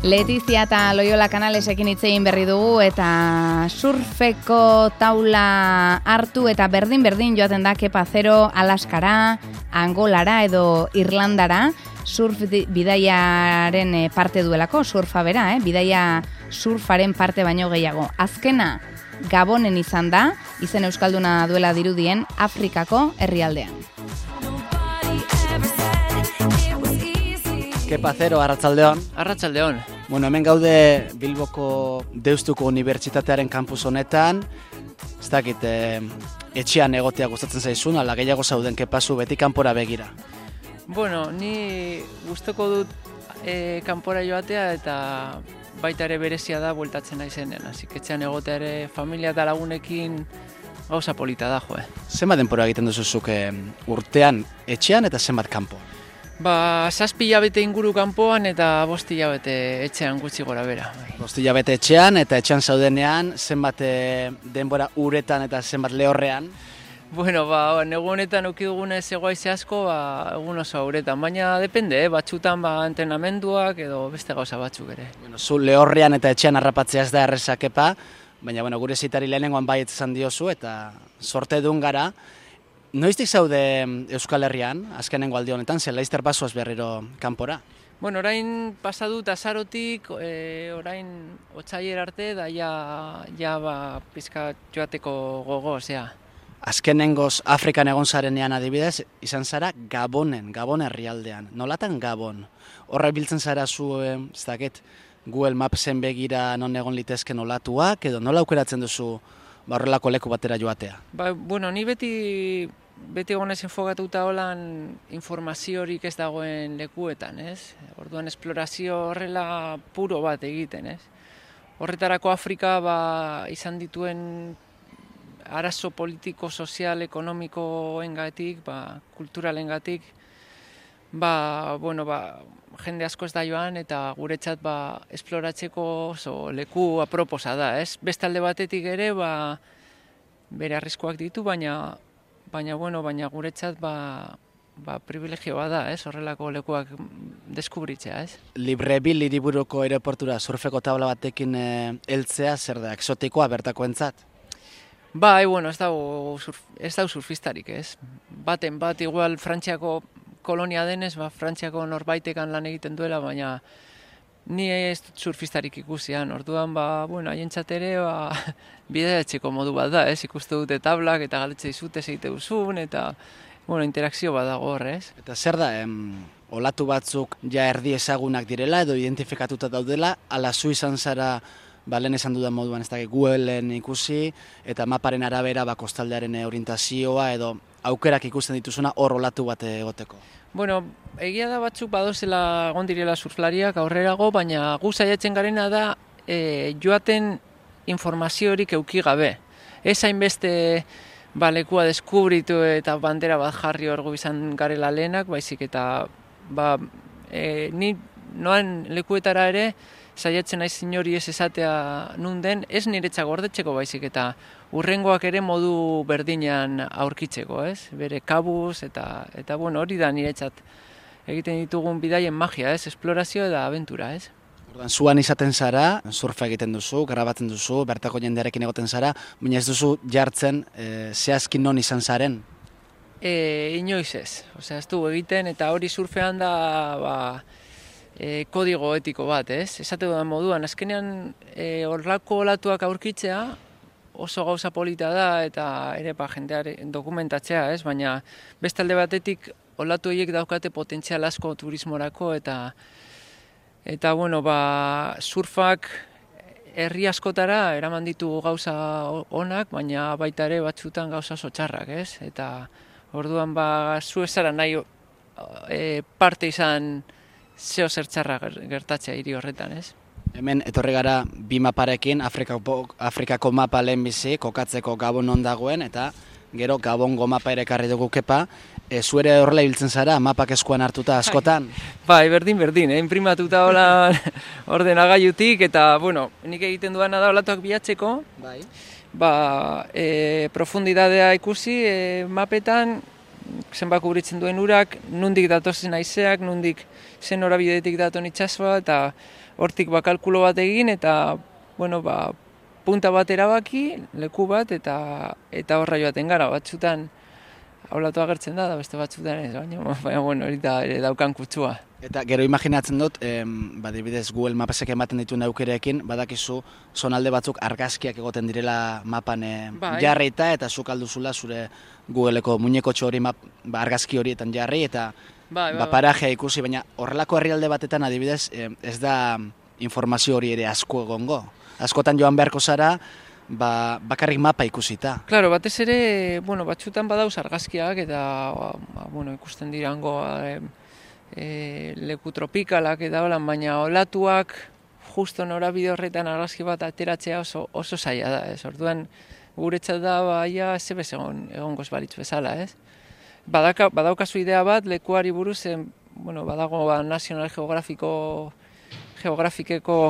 Letizia eta Loyola Kanalesekin hitz egin berri dugu eta surfeko taula hartu eta berdin joaten da Kepa Zero Alaskara, Angolara edo Irlandara, surf bidaiaren parte duelako, surfa bera, bidaia surfaren parte baino gehiago. Azkena Gabonen izan da, izen euskalduna duela dirudien Afrikako herrialdean. Kepa Zero, arratsaldeon. Arratsaldeon. Bueno, hemen gaude Bilboko Deustuko Unibertsitatearen kampus honetan. Ez dakit, etxean egotea gustatzen zaizun, ala gehiago zauden Kepazu beti kanpora begira. Bueno, ni gustoko dut kanpora joatea eta baita ere berezia da bueltatzen naizenean. Así que etxean egotea ere familia eta lagunekin gauza polita da, jo. Zenbat denbora egiten duzuzuk urtean etxean eta zenbat kanpo? 7 hilabete inguru kanpoan eta 5 hilabete etxean gutxi gora bera. 5 hilabete etxean eta etxean zaudenean zenbat denbora uretan eta zenbat lehorrean? Bueno, negu honetan eduki dugunez egoaize asko, egun oso uretan, baina depende, batzutan entrenamenduak edo beste gauza batzuk ere. Bueno, zu lehorrean eta etxean harrapatzea ez da erreza, Kepa, baina gure zitari lehenengoan baietz izan diozu eta sorte dun gara. Noiztik zaude Euskal Herrian, azkenengo aldi honetan, ze laizter bazoaz berriro kanpora? Bueno, orain pasadut azarotik, orain otsailer arte, da pizka joateko gogo, osea. Azkenengoz Afrikan egon zarenean adibidez, izan zara Gabon herrialdean. Nolatan Gabon? Horra biltzen zara zu, ez dakit, Google Mapsen begira non egon litezken olatuak, edo nola aukeratzen duzu horrelako leku batera joatea? Bueno, ni beti egonez enfogatuta holan informaziorik ez dagoen lekuetan, ez? Orduan esplorazio horrela puro bat egiten, ez? Horretarako Afrika izan dituen arazo politiko, sozial, ekonomikoengatik, kulturalengatik, jende asko ez da joan eta guretzat esploratzeko oso leku aproposa da, ez? Beste alde batetik ere, bere arriskuak ditu, baina guretzat privilegioa da, ez? Horrelako lekuak deskubritzea, ez? Libreville hiriburuko aireportura surfeko tabla batekin heltzea zer da, exotikoa bertakoentzat? Bueno, ez dau surfistarik, ez? Baten bat, igual Frantziako kolonia denez, Frantziako norbaitekan lan egiten duela, baina ni ez dut surfistarik ikusian. Orduan, haientzat ere, bideatzeko modu bat da, ez? Ikuste dute tablak eta galetzea izute zeite duzun, eta, interakzio bat dago hor, ez? Eta zer da, olatu batzuk ja erdi ezagunak direla edo identifikatuta daudela, ala zu izan zara, lehen esan dudan moduan ez da Googleen ikusi, eta maparen arabera kostaldearen orientazioa edo aukerak ikusten dituzuna hor olatu bat egoteko. Bueno, egia da batzuk badozela egon direla surflariak aurrerago, baina gu saiatzen garena da joaten informaziorik eduki gabe. Ez hainbeste lekua deskubritu eta bandera bat jarri hor izan garela lehenak, baizik eta ni noan lekuetara ere saiatzen naiz inori ez esatea nun den, ez niretzako gordetzeko baizik eta urrengoak ere modu berdinean aurkitzeko, ez? Bere kabuz eta hori da niretzat egiten ditugun bidaien magia, ez? Esplorazio eta abentura, ez? Ordan zuan izaten zara, surfa egiten duzu, grabatzen duzu, bertako jendearekin egoten zara, baina ez duzu jartzen zehazkin non izan zaren? Inoiz ez, osea ez du egiten eta hori surfean da kodigo etiko bat, ez? Esate dudan moduan, azkenean horlako olatuak aurkitzea oso gauza polita da eta ere jendearen dokumentatzea, ez? Baina beste alde batetik olatu horiek daukate potentzial asko turismorako eta surfak herri askotara eraman ditu gauza onak, baina baita ere batzutan gauza oso txarrak, ez? Eta orduan zu ez zara nahi parte izan zeo zertxarra gertatzea hiri horretan, ez? Hemen etorri gara bi maparekin, Afrikako mapa lehenbizi, kokatzeko Gabon non dagoen, eta gero Gabongo mapa ere ekarri dugu Kepa. Zuere horrela ibiltzen zara, mapak eskuan hartuta askotan? Berdin, imprimatuta hola ordenagailutik, eta, nik egiten duana da olatuak bilatzeko, profundidadea ikusi mapetan, zenbat kubritzen duen urak, nondik datozen haizeak, nondik zen norabidetik daton itsasoa, eta hortik kalkulo bat egin eta bueno, punta bat erabaki, leku bat eta horra joaten gara. Batzutan olatu agertzen da beste batzutan ez, baina bueno, hori da ere daukan kutsua. Eta gero imaginatzen dut, adibidez Google Mapsek ematen dituen aukerekin, badakizu zonalde batzuk argazkiak egoten direla mapan jarrita, eta zuk alduzula zure Googleeko muñekotxo hori argazki horietan jarri, eta parajea ikusi, baina horrelako herrialde batetan adibidez ez da informazio hori ere asko egongo. Askotan joan beharko zara, bakarrik mapa ikusita. Claro, batez ere, batzutan badauz argazkiak eta ikusten dirango leku tropikalak eta holan, baina olatuak justo norabide horretan argazki bat ateratzea oso zaila da, ez? Orduan guretzat da baia zebez egongoz balitz bezala, ez? Badaukazu idea bat lekuari buruz, badago National Geografikeko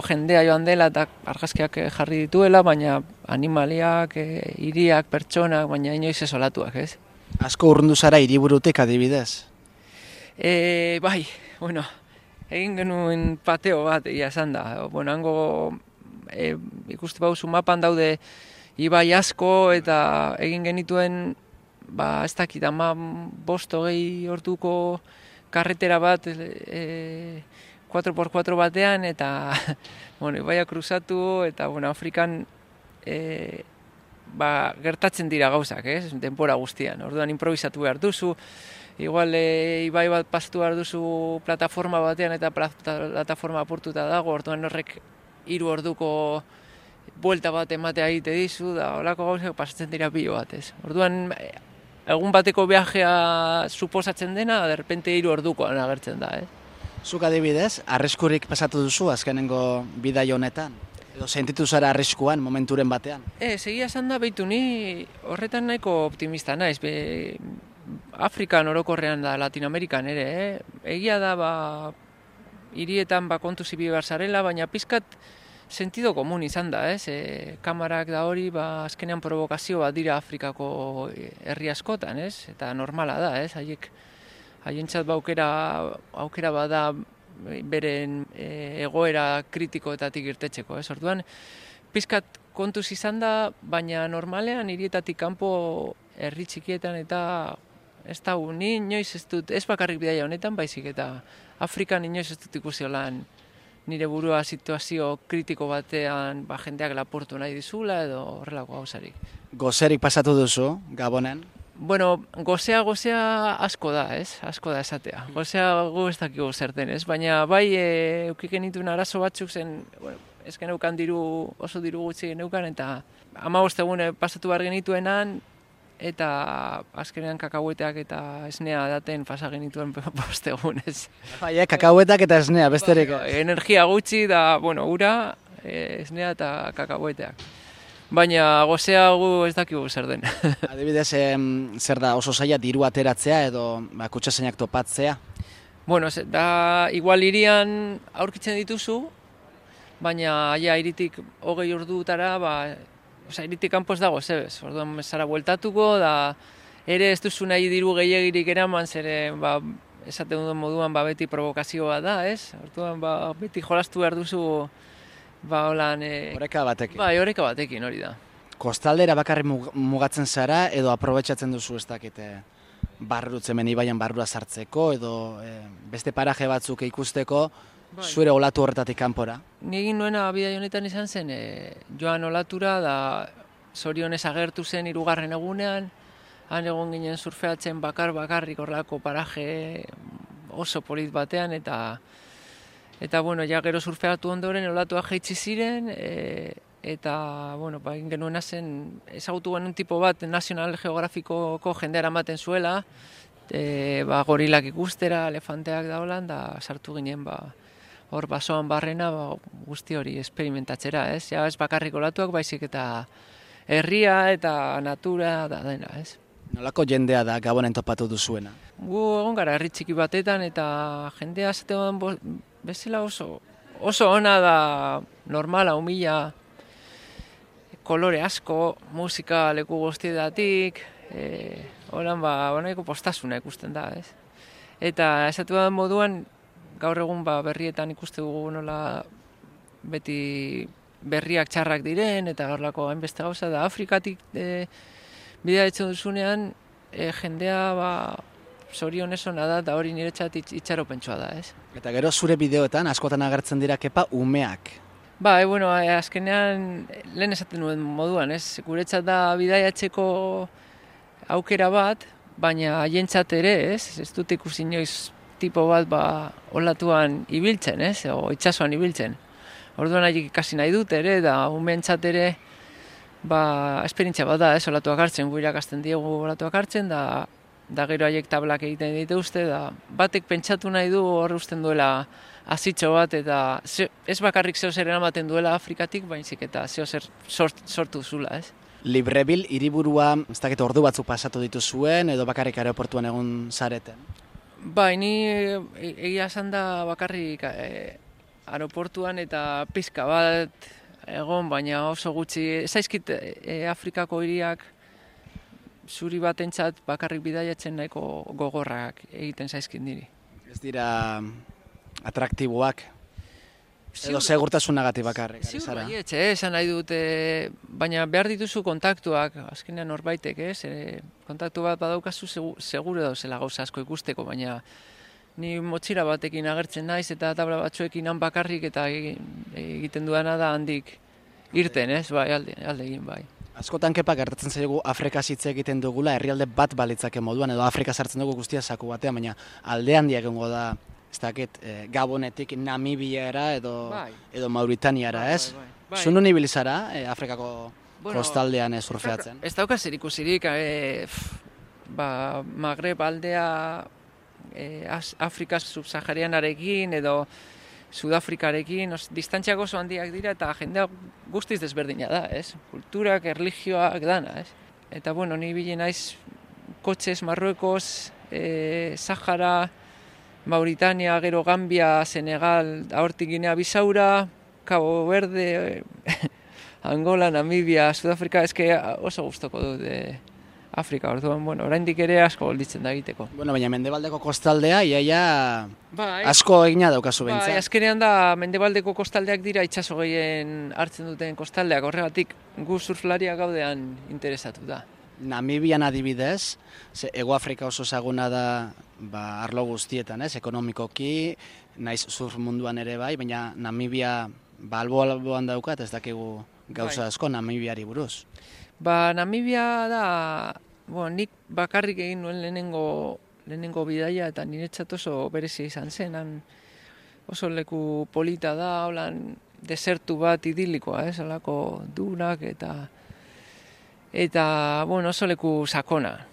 jendea joan dela eta argazkiak jarri dituela, baina animaliak, hiriak, pertsonak, baina inoiz ez olatuak, ez? Asko urrundu zara hiriburutik adibidez? Egin genuen pateo bat egia esan da. Hango ikuste bauzu mapan daude ibai asko eta egin genituen ez dakit, 5-6 orduko karretera bat 4x4 batean eta ibaia kruzatu eta Afrikan gertatzen dira gauzak, ez? Denbora guztian. Orduan improvisatu behar duzu, igual ibai bat pasatu behar duzu plataforma batean eta plataforma apurtuta dago, orduan horrek 3 orduko buelta bat ematea egite dizu, da holako gauzak pasatzen dira pilo bat, ez? Orduan egun bateko viajea suposatzen dena, de repente 3 ordukoan agertzen da, ez? Zuk adibidez, arriskurik pasatu duzu azkenengo bidai honetan? Edo sentitu zara arriskuan momenturen batean? Egia esan da, behitu ni horretan nahiko optimista naiz. Afrikan orokorrean da, Latinoamerikan ere. Egia da, hirietan kontu zibi behar zarela, baina pizkat sentido komun izan da, ez? Kamarak da hori, azkenean provokazio bat dira Afrikako herri askotan, ez? Eta normala da, ez? Haientzat aukera bada beren egoera kritikoetatik irtetzeko, ez? Orduan, pizkat kontuz izan da, baina normalean hirietatik kanpo herri txikietan eta ez da ni inoiz ez dut, ez bakarrik bidaia honetan, baizik eta Afrikan inoiz ez dut ikusi holan nire burua situazio kritiko batean jendeak lapurtu nahi dizula edo horrelako gauzarik. Gozerik pasatu duzu, Gabonen? Gozea asko da, ez? Asko da esatea. Gozea gu ez dakigu zer denez, baina bai eukik genituen arazo batzuk zen, ez geneukan oso diru gutxi geneukan, eta 15 egun pasatu behar genituenan, eta azkenean kakaueteak eta esnea daten pasa genituen 5 egunez. Kakauetak eta esnea, besterik. Energia gutxi da, ura, esnea eta kakaueteak. Baina gozea gu ez dakigu zer den. Adibidez, zer da oso zaila diru ateratzea edo kutsasainak topatzea? Da igual hirian aurkitzen dituzu, baina hiritik 20 ordutara, hiritik kanpo ez dago zebez. Orduan zara bueltatuko, da ere ez duzu nahi diru gehiegirik eraman, zere esaten duen moduan beti provokazioa da, ez? Orduan beti jolastu behar duzu oreka batekin. Oreka batekin, hori da. Kostaldera bakarrik mugatzen zara edo aprobetxatzen duzu ez dakite barrutzemen ibaian barrura sartzeko edo beste paraje batzuk ikusteko zure olatu horretatik kanpora? Ni egin nuena bidai honetan izan zen joan olatura da zorionez agertu zen 3. egunean, han egon ginen surfeatzen bakarrik horrelako paraje oso polit batean eta gero surfeatu ondoren olatuak jaitsi ziren, eta, egin genuena zen, ezagutu genuen tipo bat National Geografikoko jendea ematen zuela, gorilak ikustera, elefanteak da holan, da sartu ginen, hor basoan barrena, guzti hori esperimentatzera, ez? Ja, ez bakarrik olatuak, baizik eta herria eta natura da dena, ez? Nolako jendea da Gabonen topatu duzuena? Gu egon gara herri txiki batetan eta jendea zaten bezala oso ona da, normala, humila, kolore asko, musika leku guztietatik, holan nahiko postasuna ikusten da, ez? Eta esatu da moduan, gaur egun berrietan ikuste dugu nola beti berriak txarrak diren, eta horrelako hainbeste gauza, da Afrikatik bidea etxen duzunean, jendea zorionez ona da, eta hori niretzat itxaropentsua da, ez? Eta gero zure bideoetan askotan agertzen dira kepa umeak. Bueno, azkenean lehen esaten nuen moduan, ez? Guretzat da bidaiatzeko aukera bat, baina haientzat ere, ez? Ez dut ikusi inoiz tipo bat olatuan ibiltzen, ez? O itsasoan ibiltzen. Orduan haiek ikasi nahi dut ere, da umeentzat ere esperientzia bat da, ez? Olatuak hartzen, gu irakasten diegu olatuak hartzen, da gero haiek tablak egiten dituzte, da batek pentsatu nahi du hor usten duela azitxo bat, eta ez bakarrik zeo zer eramaten duela Afrikatik, baizik eta zeo zer sortu zula, ez? Libreville hiriburua, ez dakit ordu batzuk pasatu dituzuen, edo bakarrik aeroportuan egon zareten? Ni egia esan da bakarrik aeroportuan eta pizka bat egon, baina oso gutxi. Zaizkit Afrikako hiriak zuri batentzat bakarrik bidaiatzen nahiko gogorrak egiten zaizkit niri. Ez dira atraktiboak? Edo segurtasunagatik bakarrik, ari zara? Ziur baietxe, esan nahi dut, baina behar dituzu kontaktuak, azkenean norbaitek, kontaktu bat badaukazu segure dauzela gauza asko ikusteko, baina ni motxira batekin agertzen naiz eta tabla batzuekin han bakarrik eta egiten duana da handik irten, ez? Bai, alde egin, bai. Askotan kepa gertatzen zaigu Afrika hitz egiten dugula herrialde bat balitzake moduan, edo Afrika sartzen dugu guztia saku batean, baina alde handia egongo da, ez dakit, Gabonetik Namibiara edo Mauritaniara, ez? Zunu ibili zara Afrikako kostaldean surfeatzen? Ez dauka zer ikusirik, Magreb aldea Afrika subsaharianarekin edo Sudafrikarekin, distantziak oso handiak dira eta jendea guztiz desberdina da, ez? Kulturak, erlijioak dana, ez? Eta, ni bile naiz kotxez, Marruekos, Sahara, Mauritania, gero Gambia, Senegal, hortik Ginea Bisaura, Cabo Verde, Angola, Namibia, Sudafrika, eske oso gustoko dut Afrika, orduan, oraindik ere asko golditzen da egiteko. Baina mendebaldeko kostaldea, iaia asko egina daukazu behintzat. Azkenean da, mendebaldeko kostaldeak dira itsaso gehien hartzen duten kostaldeak, horregatik gu surflariak gaudean interesatu da. Namibian adibidez, Hego Afrika oso ezaguna da arlo guztietan, ekonomikoki, naiz surf munduan ere bai, baina Namibia alboan daukat, ez dakigu gauza asko Namibiari buruz. Namibia da, nik bakarrik egin nuen lehenengo bidaia eta niretzat oso berezia izan zen. Oso leku polita da, holan desertu bat idilikoa, alako dunak eta oso leku sakona.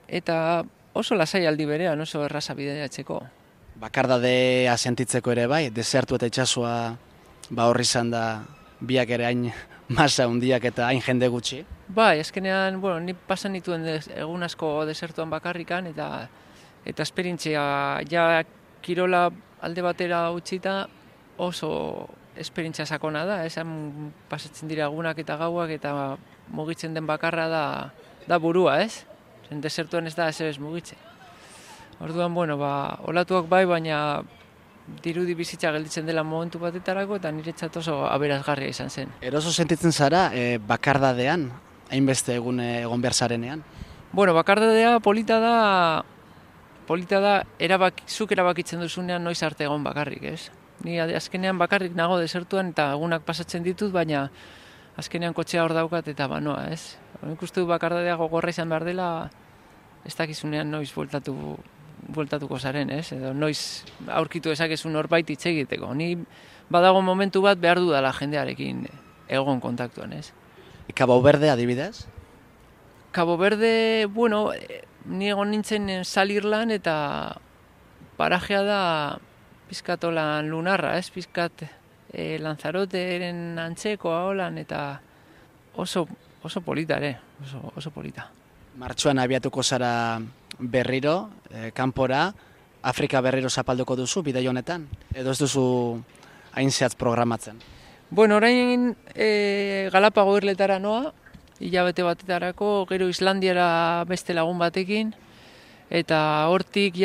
Eta oso lasai aldi berean, oso erraza bidaiatzeko. Bakardadea sentitzeko ere bai, desertu eta itsasoa horri izan da biak ere hain masa hundiak eta hain jende gutxi. Azkenean, ni pasan nituen egun asko desertuan bakarrikan eta esperientzia kirola alde batera utzita oso esperientzia sakona da, esan pasatzen dira egunak eta gauak eta mugitzen den bakarra da burua, ez? Desertuan ez da ez mugitzen. Orduan, olatuak bai, baina dirudi bizitza gelditzen dela momentu batetarako eta niretzat oso aberazgarria izan zen. Eroso sentitzen zara bakardadean, hainbeste egon behar zarenean? Bakardadea polita da zuk erabakitzen duzunean noiz arte egon bakarrik, ez? Ni azkenean bakarrik nago desertuan eta egunak pasatzen ditut, baina azkenean kotxea hor daukat eta banoa, ez? Nik uste du bakardadea gogorra izan behar dela, ez dakizunean noiz bueltatuko zaren, ez? Edo noiz aurkitu ezakezun norbait hitz egiteko. Ni badago momentu bat behar dudala jendearekin egon kontaktuan, ez? Cabo Verde adibidez? Cabo Verde, ni egon nintzen Salirlan eta parajea da pizkatolan lunarra, ez? Pizkat Lanzaroteren antzekoa holan eta oso polita ere, oso polita. Martxoan abiatuko zara berriro, kanpora, Afrika berriro zapalduko duzu, bidai honetan? Edo ez duzu hain zehatz programatzen? Orain Galapago irletara noa, hilabete batetarako, gero Islandiara beste lagun batekin, eta hortik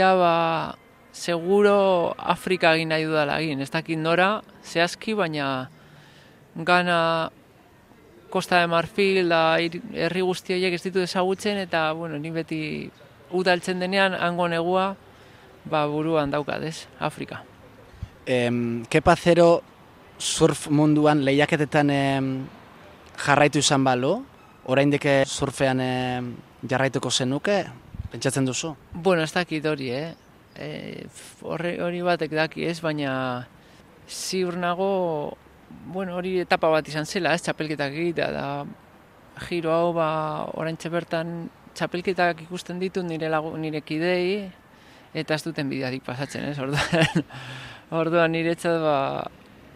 seguro Afrika egin nahi dudala egin. Ez dakit nora, zehazki, baina Gana, Costa de Marfil, da herri guzti horiek ez ditu ezagutzen, eta, bueno, ni beti udaltzen denean, hango negua, buruan daukat, ez, Afrika. Kepa Zero surf munduan lehiaketetan jarraitu izan balu, oraindik surfean jarraituko zenuke, pentsatzen duzu? Bueno, ez dakit hori, hori batek daki, ez, baina ziur nago, bueno, hori etapa bat izan zela, ez, txapelketak egitea, da giro hau, oraintxe bertan txapelketak ikusten ditut nire kidei, eta ez duten bidearik pasatzen, ez, orduan niretzat,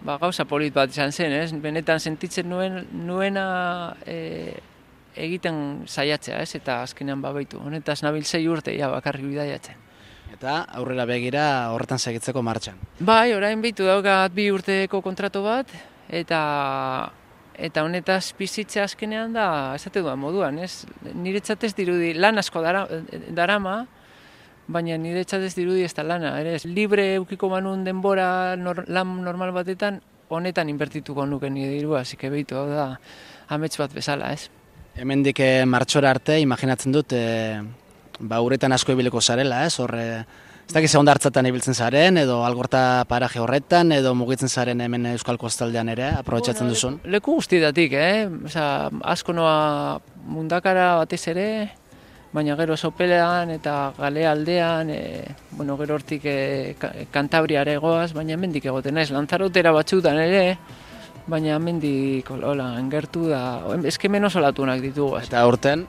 gauza polit bat izan zen, ez, benetan sentitzen nuena egiten saiatzea, ez, eta azkenean baitu, honetaz nabil 6 urte, bakarrik bidaiatzen. Eta aurrera begira horretan segitzeko martxan. Bai, orain behitu daukat 2 urteko kontratu bat, eta honetaz bizitzea azkenean da, esate duan moduan, ez? Niretzat ez dirudi, lan asko darama, baina niretzat ez dirudi ez da lana, ere? Libre eukiko manun denbora lan normal batetan, honetan inbertituko nuke nire dirua, asike behitu, hau da, amets bat bezala, ez? Hemendik martxora arte, imaginatzen dut, uretan asko ibiliko zarela, ez? Ez dakiz egon hartzatan ibiltzen zaren, edo algorta paraje horretan, edo mugitzen zaren hemen Euskal Kostaldean ere, aprobetxatzen duzun? Leku guztietatik, asko noa mundakara batez ere, baina gero Sopelean eta Galea aldean, gero hortik Kantabriara egoaz, baina hemendik egoten naiz, Lanzarotera batzutan ere, baina hemendik engertu da, eskemen oso latunak ditugu. Eta aurten?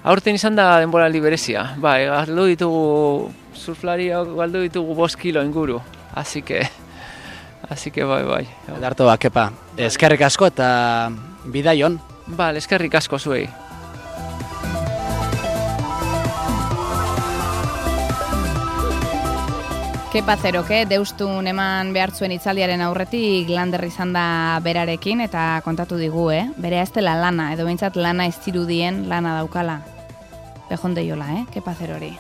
Aurten izan da denboraldi berezia, galdu ditugu, surflariak galdu ditugu 5 kilo inguru, así que bai. Edarto Kepa, eskerrik asko eta bidaion. Eskerrik asko zuei. Kepa Zeroke, deustun eman behar zuen itzaldiaren aurretik Lander izan da berarekin eta kontatu digu, bere ez dela lana, edo behintzat lana ez zirudien lana daukala. Bejon deiola, Kepa Zerori.